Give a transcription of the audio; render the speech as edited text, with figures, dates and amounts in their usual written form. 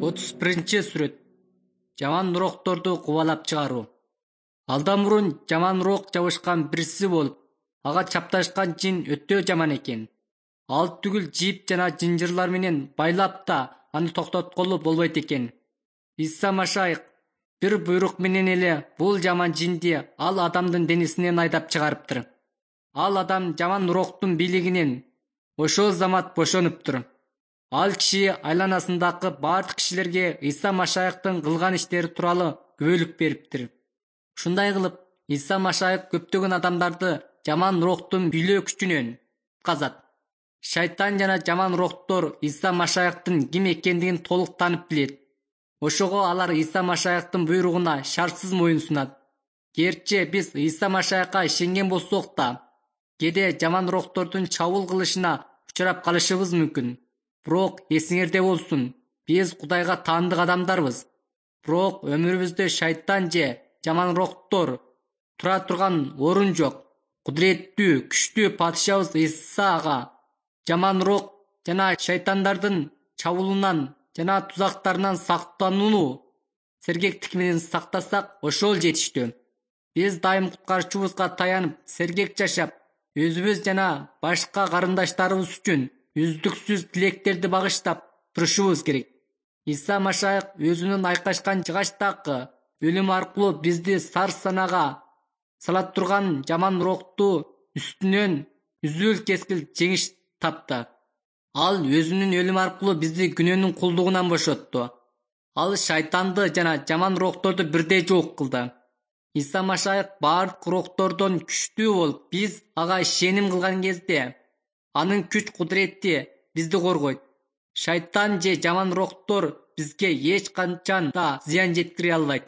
31-сүрөт. Жаман рухторду кубалап чыгаруу. Алдан мурун жаман рух жабышкан бирси болуп, ага чапташкан жин өтө жаман экен. Ал түгүл жип жана жынжырлар менен байлап да аны токтотколу болбойт экен. Иса Машайык бир буйрук менен эле бул жаман жинди ал адамдын денесинен айдап чыгарыптыр. Ал адам жаман рухтун бийлигинен ошол замат бошонуптур. Ал киши айланасындагы бардык кишилерге Иса Машайыктын кылган иштери тууралуу күбөлүк бериптир. Ушундай кылып, Иса Машайык көптөгөн адамдарды жаман рухтун бийлөө күчүнөн кутказат. Шайтан жана жаман рухтор Иса Машайыктын ким экендигин толук таанып билет. Ошого алар Иса Машайыктын буйругуна шартсыз моюн сунат. Герчи биз Иса Машайыкка ишенген болсок да, кээде жаман рухтордун чабуул кылышына учурап калышыбыз мүмкүн. Бирок эсиңерде болсун, биз Кудайга таандык адамдарбыз. Бирок өмүрүбүздө шайтан же жаман рухтор тура турган орун жок. Кудуреттүү, күчтүү падышабыз Иса ага жаман рух жана шайтандардын чабуулунан жана тузактарынан сактанууну сергектик менен сактасак, ошол жетиштүү. Биз дайым куткарчубузга таянып, сергек жашап, өзүбүз жана башка карындаштарыбыз үчүн үздүксүз тилектерди багыштап турушубуз керек. Иса Машайык өзүнүн айкашкан жыгачтагы өлүм аркылуу бизди сар-санага сала турган жаман рухту үстүнөн үзүл-кескил жеңиш тапты. Ал өзүнүн өлүм аркылуу бизди күнөөнүн кулдугунан бошотту. Ал шайтанды жана жаман рухторду бирдей жок кылды. Иса Машайык бардык рухтордон күчтүү болуп, биз ага ишеним кылган кезде анын күч кудурети бизди коргойт. Шайтан же жаман рухтор бизге эч качан да зыян жеткире албайт.